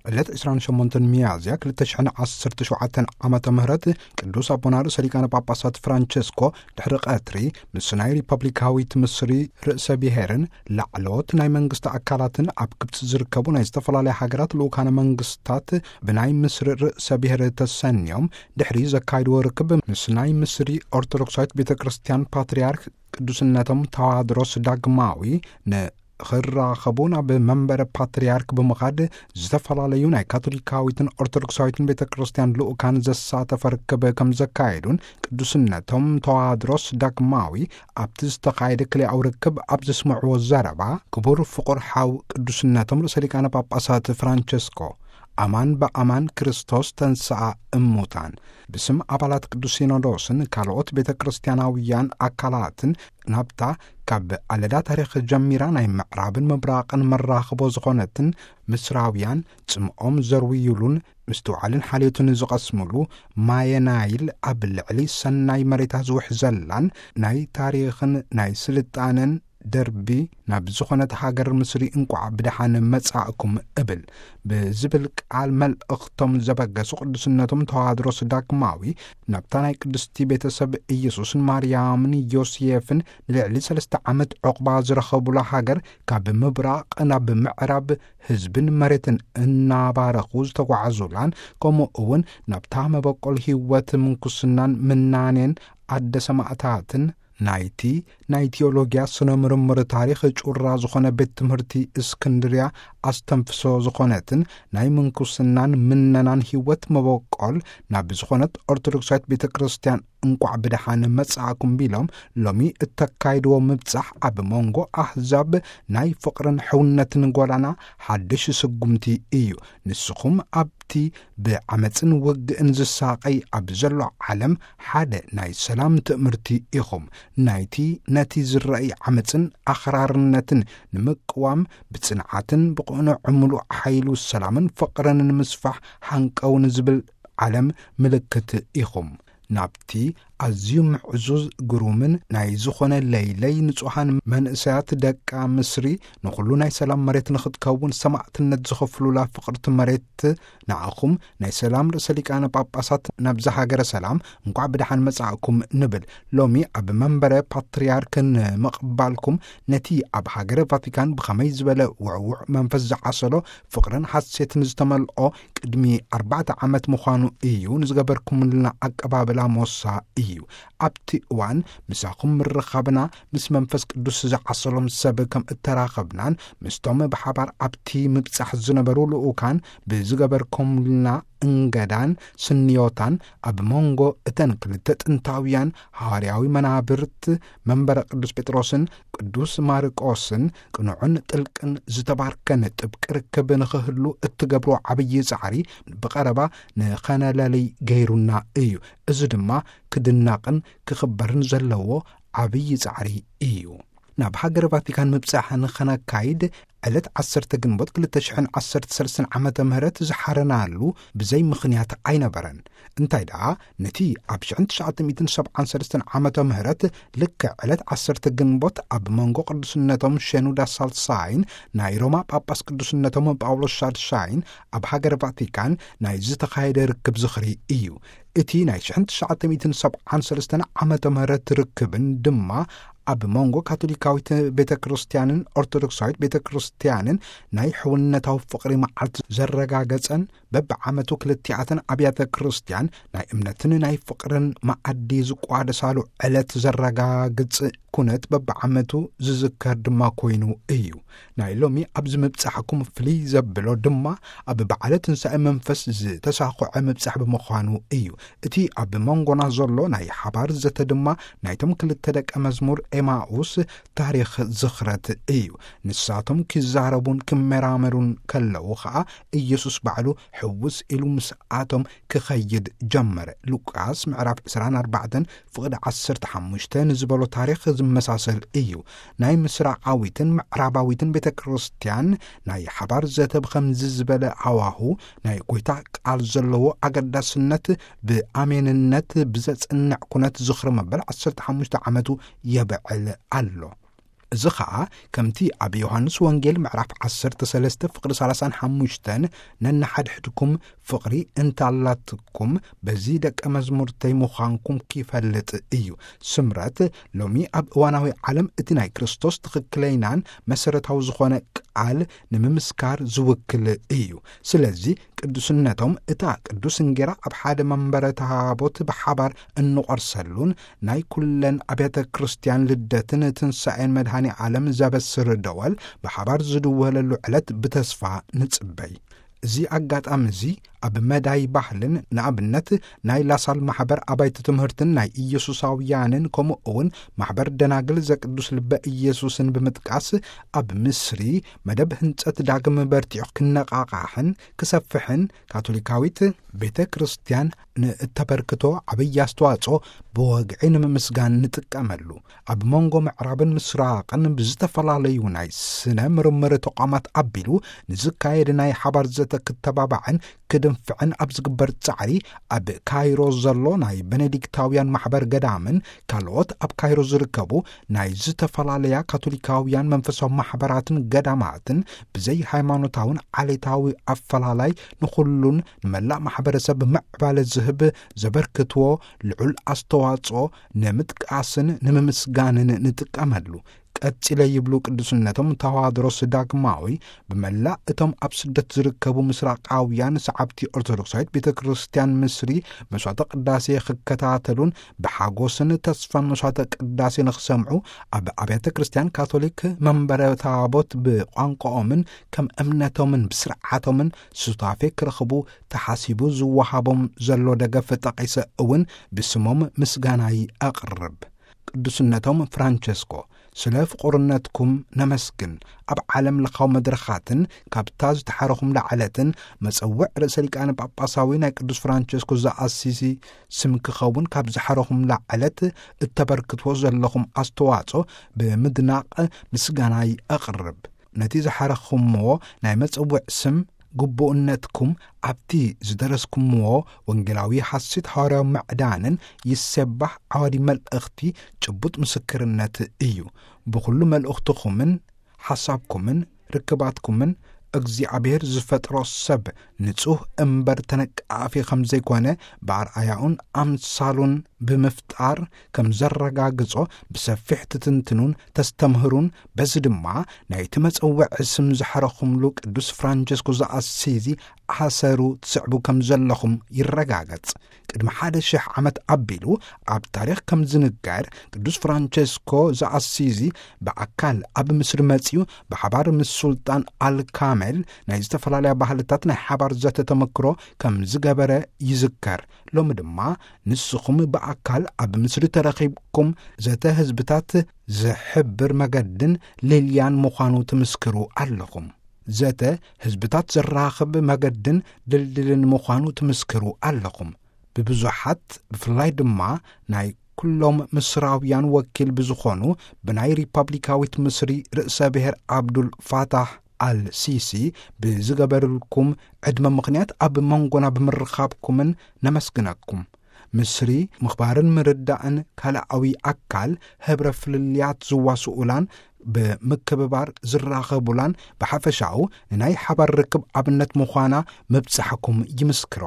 ዕለት ዕስራን ሸሞንተን ሚያዝያ ክልተ ሽሕን ዓሰርተ ሸውዓተን ዓመተ ምህረት ቅዱስ ኣቦና ርእሰ ሊቃነ ጳጳሳት ፍራንቸስኮ ድሕሪ ቀትሪ ምስ ናይ ሪፐብሊካዊት ምስሪ ርእሰ ብሔርን ላዕለዎት ናይ መንግስቲ ኣካላትን ኣብ ግብፂ ዝርከቡ ናይ ዝተፈላለያ ሃገራት ልኡካነ መንግስታት ብናይ ምስሪ ርእሰ ብሔር ተሰንዮም ድሕሪ ዘካይድዎ ርክብ ምስ ናይ ምስሪ ኦርቶዶክሳዊት ቤተ ክርስቲያን ፓትርያርክ ቅዱስነቶም ተዋድሮስ ዳግማዊ ን ክራኸቡ ናብ መንበረ ፓትርያርክ ብምኻድ ዝተፈላለዩ ናይ ካቶሊካዊትን ኦርቶዶክሳዊትን ቤተ ክርስቲያን ልኡካን ዘሳተፈ ርክብ ከም ዘካየዱን ቅዱስነቶም ተዋድሮስ ዳግማዊ ኣብቲ ዝተኻየደ ክልኣዊ ርክብ ኣብ ዘስምዕዎ ዘረባ ክቡር ፍቑር ሓው ቅዱስነቶም ርእሰ ሊቃነ ጳጳሳት ፍራንቸስኮ ኣማን ብኣማን ክርስቶስ ተንስኣ እሙታን ብስም ኣባላት ቅዱስ ሲኖዶስን ካልኦት ቤተ ክርስቲያናውያን ኣካላትን ናብታ ካብ ኣለዳ ታሪኽ ጀሚራ ናይ ምዕራብን ምብራቕን መራኽቦ ዝኾነትን ምስራውያን ጽምኦም ዘርውዩሉን ምስትውዓልን ሓልዮትን ዝቐስሙሉ ማየ ናይል ኣብ ልዕሊ ሰናይ መሬታ ዝውሕዘላን ናይ ታሪኽን ናይ ስልጣነን ደርቢ ናብ ዝኾነት ሃገር ምስሪ እንቋዕ ብደሓን መጻእኩም እብል ብዝብል ቃል መልእኽቶም ዘበገሱ ቅዱስነቶም ተዋድሮስ ዳግማዊ ናብታ ናይ ቅድስቲ ቤተሰብ ኢየሱስን ማርያምን ዮሴፍን ንልዕሊ ሰለስተ ዓመት ዕቑባ ዝረኸቡላ ሃገር ካብ ምብራቕ ናብ ምዕራብ ህዝብን መሬትን እናባረኹ ዝተጓዓዙላን ከምኡ እውን ናብታ መበቆል ህይወት ምንኩስናን ምናኔን ኣደ ሰማእታትን ናይቲ ናይ ቲዮሎጊያ ስነ ምርምር ታሪኽ ጩራ ዝኾነ ቤት ትምህርቲ እስክንድርያ ኣስተንፍሶ ዝኾነትን ናይ ምንኩስናን ምነናን ህይወት መበቆል ናብ ዝኾነት ኦርቶዶክሳዊት ቤተ ክርስቲያን እንቋዕ ብደሓን መጻእኩም ቢሎም ሎሚ እተካይድዎ ምብጻሕ ኣብ መንጎ ኣህዛብ ናይ ፍቕርን ሕውነትን ጎዳና ሓድሽ ስጉምቲ እዩ። ንስኹም ኣብቲ ብዓመጽን ውግእን ዝሳቐይ ኣብ ዘሎ ዓለም ሓደ ናይ ሰላም ትእምርቲ ኢኹም። ናይቲ ነቲ ዝረኣይ ዓመጽን ኣኽራርነትን ንምቅዋም ብጽንዓትን ብቕኑዕ ምሉእ ሓይሉ ሰላምን ፍቕርን ንምስፋሕ ሃንቀው ንዝብል ዓለም ምልክት ኢኹም። ናብቲ ኣዝዩ ምዕዙዝ ግሩምን ናይ ዝኾነ ለይለይ ንጹሃን መንእሰያት ደቃ ምስሪ ንኹሉ ናይ ሰላም መሬት ንኽትከውን ሰማዕትነት ዝኸፍሉላ ፍቕርቲ መሬት ንዓኹም ናይ ሰላም ርእሰ ሊቃነ ጳጳሳት ናብዛ ሃገረ ሰላም እንቋዕ ብደሓን መጻእኩም ንብል። ሎሚ ኣብ መንበረ ፓትርያርክ ንምቕባልኩም ነቲ ኣብ ሃገረ ቫቲካን ብኸመይ ዝበለ ውዕውዕ መንፈስ ዝዓሰሎ ፍቕርን ሓሴትን ዝተመልኦ ቅድሚ ኣርባዕተ ዓመት ምዃኑ እዩ ንዝገበርኩምልና ኣቀባብላ ሞሳ እዩ። ኣብቲ እዋን ምሳኹም ምርኻብና ምስ መንፈስ ቅዱስ ዝዓሰሎም ሰብ ከም እተራኸብናን ምስቶም ብሓባር ኣብቲ ምብጻሕ ዝነበሩ ልኡካን ብዝገበርኩምልና እንገዳን ስንዮታን ኣብ መንጎ እተን ክልተ ጥንታውያን ሃዋርያዊ መናብርት መንበረ ቅዱስ ጴጥሮስን ቅዱስ ማርቆስን ቅኑዕን ጥልቅን ዝተባርከን ጥብቂ ርክብ ንኽህሉ እትገብሮ ዓብዪ ጻዕሪ ብቐረባ ንኸነለልይ ገይሩና እዩ። እዚ ድማ ክድነቕን ክኽበርን ዘለዎ ዓብዪ ጻዕሪ እዩ። ናብ ሃገረ ቫቲካን ምብጻሕ ንኸነካይድ ዕለት ዓሰርተ ግንቦት ክልተ ሽሕን ዓሰርተ ሰለስተን ዓመተ ምህረት ዝሓረናሉ ብዘይ ምኽንያት ኣይነበረን። እንታይ ደኣ፣ ነቲ ኣብ ሽሕን ትሽዓተ ሚእትን ሰብዓን ሰለስተን ዓመተ ምህረት ልክዕ ዕለት ዓሰርተ ግንቦት ኣብ መንጎ ቅዱስነቶም ሸኑዳ ሳልሳይን ናይ ሮማ ጳጳስ ቅዱስነቶም ጳውሎስ ሻድሻይን ኣብ ሃገር ቫቲካን ናይ ዝተኻየደ ርክብ ዝኽሪ እዩ። እቲ ናይ ሽሕን ትሽዓተ ሚእትን ሰብዓን ሰለስተን ዓመተ ምህረት ርክብን ድማ ኣብ መንጎ ካቶሊካዊት ቤተ ክርስቲያንን ኦርቶዶክሳዊት ቤተ ክርስቲያንን ናይ ሕውነታዊ ፍቕሪ መዓልቲ ዘረጋገጸን በብዓመቱ ክልቲኣተን ኣብያተ ክርስቲያን ናይ እምነትን ናይ ፍቕርን መኣዲ ዝቋደሳሉ ዕለት ዘረጋግጽ ኩነት በብዓመቱ ዝዝከር ድማ ኮይኑ እዩ። ናይ ሎሚ ኣብዚ ምብጻሕኩም ፍልይ ዘብሎ ድማ ኣብ በዓለ ትንሳኤ መንፈስ ዝተሳኹዐ ምብጻሕ ብምዃኑ እዩ። እቲ ኣብ መንጎና ዘሎ ናይ ሓባር ዘተ ድማ ናይቶም ክልተ ደቀ መዝሙር ኤማኡስ ታሪኽ ዝኽረት እዩ። ንሳቶም ኪዛረቡን ኪመራመሩን ከለዉ ኸኣ ኢየሱስ ባዕሉ ሕውስ ኢሉ ምስኣቶም ክኸይድ ጀመረ። ሉቃስ ምዕራፍ ዕስራን ኣርባዕተን ፍቕዲ ዓሰርተ ሓሙሽተ ንዝበሎ ታሪኽ ዝመሳሰል እዩ። ናይ ምስራቓዊትን ምዕራባዊትን ቤተ ክርስቲያን ናይ ሓባር ዘተ ብኸምዚ ዝበለ ሃዋሁ ናይ ጐይታ ቃል ዘለዎ ኣገዳስነት ብኣሜንነት ብዘጽንዕ ኩነት ዝኽሪ መበል ዓሰርተ ሓሙሽተ ዓመቱ የብዕል ኣሎ። እዚ ኸኣ ከምቲ ኣብ ዮሃንስ ወንጌል ምዕራፍ ዓሰርተ ሰለስተ ፍቕሪ ሰላሳን ሓሙሽተን፣ ነንሓድሕድኩም ፍቕሪ እንታላትኩም፣ በዚ ደቀ መዝሙርተይ ምዃንኩም ኪፈልጥ እዩ። ስምረት ሎሚ ኣብ እዋናዊ ዓለም እቲ ናይ ክርስቶስ ትኽክለይናን መሰረታዊ ዝኾነ ቃል ንምምስካር ዝውክል እዩ። ስለዚ ቅዱስነቶም እታ ቅዱስ እንጌራ ኣብ ሓደ መንበረ ታቦት ብሓባር እንቖርሰሉን ናይ ኩለን ኣብያተ ክርስቲያን ልደትን ትንሳኤን መድኃኔ ዓለም ዘበስር ደወል ብሓባር ዝድወለሉ ዕለት ብተስፋ ንጽበይ። እዚ ኣጋጣሚ እዚ ኣብ መዳይ ባህልን፣ ንኣብነት ናይ ላሳል ማሕበር ኣባይቲ ትምህርትን ናይ ኢየሱሳውያንን፣ ከምኡ እውን ማሕበር ደናግል ዘቅዱስ ልበ ኢየሱስን ብምጥቃስ፣ ኣብ ምስሪ መደብ ህንጸት ዳግም በርቲዑ ክነቓቓሕን ክሰፍሕን፣ ካቶሊካዊት ቤተ ክርስቲያን ንእተበርክቶ ዓብዪ ኣስተዋጽኦ ብወግዒ ንምምስጋን ንጥቀመሉ። ኣብ መንጎ ምዕራብን ምስራቕን ብዝተፈላለዩ ናይ ስነ ምርምር ተቋማት ኣቢሉ ንዝካየድ ናይ ሓባር ዘተ ክተባባዕን ክድንፍዕን ኣብ ዝግበር ጻዕሪ፣ ኣብ ካይሮ ዘሎ ናይ ቤኔዲክታውያን ማሕበር ገዳምን ካልኦት ኣብ ካይሮ ዝርከቡ ናይ ዝተፈላለያ ካቶሊካውያን መንፈሳዊ ማሕበራትን ገዳማትን ብዘይ ሃይማኖታውን ዓሌታዊ ኣፈላላይ ንኹሉን ንመላእ ማሕበረሰብ ምዕባለ ዝህብ ዘበርክትዎ ልዑል ኣስተዋጽኦ ንምጥቃስን ንምምስጋንን ንጥቀመሉ። ቀጺለ ይብሉ ቅዱስነቶም፣ ተዋድሮስ ዳግማዊ ብመላእ እቶም ኣብ ስደት ዝርከቡ ምስራቃውያን ሰዓብቲ ኦርቶዶክሳዊት ቤተ ክርስቲያን ምስሪ መስዋዕተ ቅዳሴ ክከታተሉን ብሓጎስን ተስፋን መስዋዕተ ቅዳሴ ንኽሰምዑ ኣብ ኣብያተ ክርስቲያን ካቶሊክ መንበረ ታቦት ብቋንቋኦምን ከም እምነቶምን ብስርዓቶምን ሱታፌ ክረኽቡ ተሓሲቡ ዝወሃቦም ዘሎ ደገፍ ጠቒሰ እውን ብስሞም ምስጋናይ ኣቕርብ። ቅዱስነቶም ፍራንቸስኮ፣ ስለ ፍቑርነትኩም ነመስግን። ኣብ ዓለም ለኻዊ መድረኻትን ካብታ ዝተሓረኹም ላዕለትን መጸውዕ ርእሰ ሊቃነ ጳጳሳዊ ናይ ቅዱስ ፍራንቸስኮ ዘኣሲሲ ስም ክኸውን ካብ ዝሓረኹም ላዕለት እተበርክትዎ ዘለኹም ኣስተዋጽኦ ብምድናቕ ምስጋናይ ኣቕርብ። ነቲ ዝሓረኽምዎ ናይ መጸውዕ ስም ግቡእነትኩም ኣብቲ ዝደረስኩምዎ ወንጌላዊ ሓሲት ሃዋርያዊ ምዕዳንን ይሴባህ ዓዋዲ መልእኽቲ ጭቡጥ ምስክርነት እዩ። ብኹሉ መልእኽትኹምን ሓሳብኩምን ርክባትኩምን እግዚኣብሔር ዝፈጥሮ ሰብ ንጹህ እምበር ተነቃፊ ከም ዘይኮነ ብኣርኣያኡን ኣምሳሉን ብምፍጣር ከም ዘረጋግጾ ብሰፊሕ ትትንትኑን ተስተምህሩን፣ በዚ ድማ ናይቲ መጸውዕ ስም ዝሓረኹምሉ ቅዱስ ፍራንቸስኮ ዘኣሲዚ ኣሰሩ ትስዕቡ ከም ዘለኹም ይረጋገጽ። ቅድሚ ሓደ ሽሕ ዓመት ኣቢሉ ኣብ ታሪኽ ከም ዝንገር፣ ቅዱስ ፍራንቸስኮ ዘኣሲዚ ብኣካል ኣብ ምስሪ መጺኡ ብሓባር ምስ ሱልጣን ኣልካሜል ናይ ዝተፈላለያ ባህልታት ናይ ሓባር ዘተ ተመክሮ ከም ዝገበረ ይዝከር። ሎሚ ድማ ንስኹም ብኣካል ኣብ ምስሪ ተረኺብኩም ዘተ ህዝብታት ዝሕብር መገድን ልልያን ምዃኑ ትምስክሩ ኣለኹም። ዘተ ህዝብታት ዘራኽብ መገድን ድልድልን ምዃኑ ትምስክሩ ኣለኹም። ብብዙሓት፣ ብፍላይ ድማ ናይ ኩሎም ምስራውያን ወኪል ብዝኾኑ ብናይ ሪፓብሊካዊት ምስሪ ርእሰ ብሔር ኣብዱል ፋታሕ ኣል ሲሲ ብዝገበርልኩም ዕድመ ምኽንያት ኣብ መንጎና ብምርኻብኩምን ነመስግነኩም። ምስሪ ምኽባርን ምርዳእን ካልኣዊ ኣካል ህብረ ፍልልያት ዝዋስኡላን ብምክብባር ዝራኸቡላን ብሓፈሻኡ ንናይ ሓባር ርክብ ኣብነት ምዃና ምብጻሕኩም ይምስክሮ።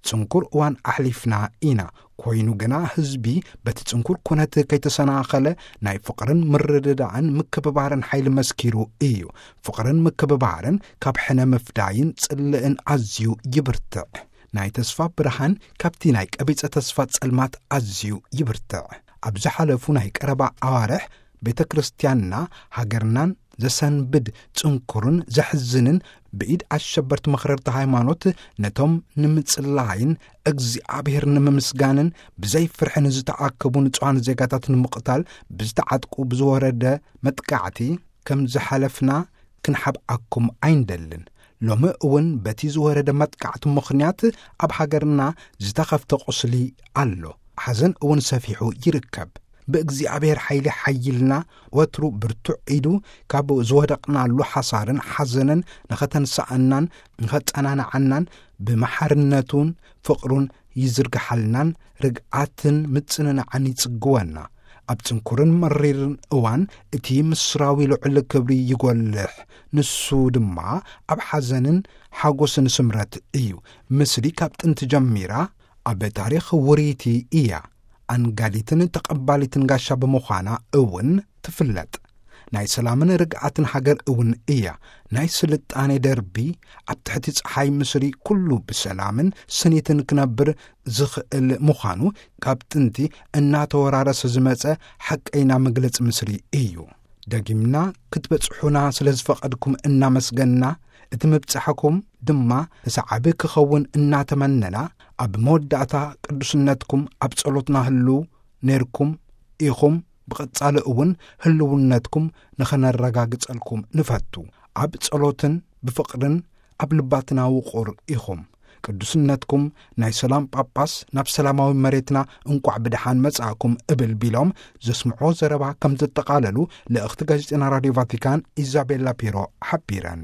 ጽንኩር እዋን ኣሕሊፍና ኢና። ኮይኑ ግና ህዝቢ በቲ ጽንኩር ኩነት ከይተሰናኸለ ናይ ፍቕርን ምርድዳእን ምክብባርን ሓይሊ መስኪሩ እዩ። ፍቕርን ምክብባርን ካብ ሕነ ምፍዳይን ጽልእን ኣዝዩ ይብርትዕ። ናይ ተስፋ ብርሃን ካብቲ ናይ ቀቢጸ ተስፋ ጸልማት ኣዝዩ ይብርትዕ። ኣብ ዝሓለፉ ናይ ቀረባ ኣዋርሕ ቤተ ክርስቲያንና ሃገርናን ዘሰንብድ ጽንኩርን ዘሕዝንን ብኢድ ኣሸበርቲ መኽረርቲ ሃይማኖት ነቶም ንምጽላይን እግዚኣብሔር ንምምስጋንን ብዘይ ፍርሒ ንዝተኣከቡ ንጹሃን ዜጋታት ንምቕታል ብዝተዓጥቁ ብዝወረደ መጥቃዕቲ ከም ዝሓለፍና ክንሓብኣኩም ኣይንደልን። ሎሚ እውን በቲ ዝወረደ መጥቃዕቲ ምኽንያት ኣብ ሃገርና ዝተኸፍተ ቁስሊ ኣሎ። ሓዘን እውን ሰፊሑ ይርከብ። ብእግዚኣብሔር ሓይሊ ሓይልና ወትሩ ብርቱዕ ኢዱ ካብ ዝወደቕናሉ ሓሳርን ሓዘንን ንኸተንስኣናን ንኸጸናንዓናን ብመሓርነቱን ፍቕሩን ይዝርግሓልናን ርግኣትን ምጽንናዕን ይጽግወና። ኣብ ጽንኩርን መሪርን እዋን እቲ ምስራዊ ልዑል ክብሪ ይጎልሕ። ንሱ ድማ ኣብ ሓዘንን ሓጎስን ስምረት እዩ። ምስሊ ካብ ጥንቲ ጀሚራ ኣብ ታሪኽ ውርይቲ እያ። ኣንጋዲትን ተቐባሊትን ጋሻ ብምዃና እውን ትፍለጥ። ናይ ሰላምን ርግኣትን ሃገር እውን እያ። ናይ ስልጣኔ ደርቢ ኣብ ትሕቲ ጸሓይ ምስሪ ኩሉ ብሰላምን ስኒትን ክነብር ዝኽእል ምዃኑ ካብ ጥንቲ እናተወራረሰ ዝመጸ ሓቀይና መግለጺ ምስሪ እዩ። ደጊምና ክትበጽሑና ስለ ዝፈቐድኩም እናመስገንና፣ እቲ ምብጻሕኩም ድማ ንሰዓቢ ክኸውን እናተመነና፣ ኣብ መወዳእታ ቅዱስነትኩም ኣብ ጸሎትና ህልው ነይርኩም ኢኹም። ብቐጻሊ እውን ህልውነትኩም ንኸነረጋግጸልኩም ንፈቱ። ኣብ ጸሎትን ብፍቕርን ኣብ ልባትና ውቑር ኢኹም። ቅዱስነትኩም ናይ ሰላም ጳጳስ ናብ ሰላማዊ መሬትና እንቋዕ ብደሓን መጻእኩም እብል ቢሎም ዘስምዖ ዘረባ ከም ዘጠቓለሉ ልእኽቲ ጋዜጠና ራድዮ ቫቲካን ኢዛቤላ ፒሮ ሓቢረን።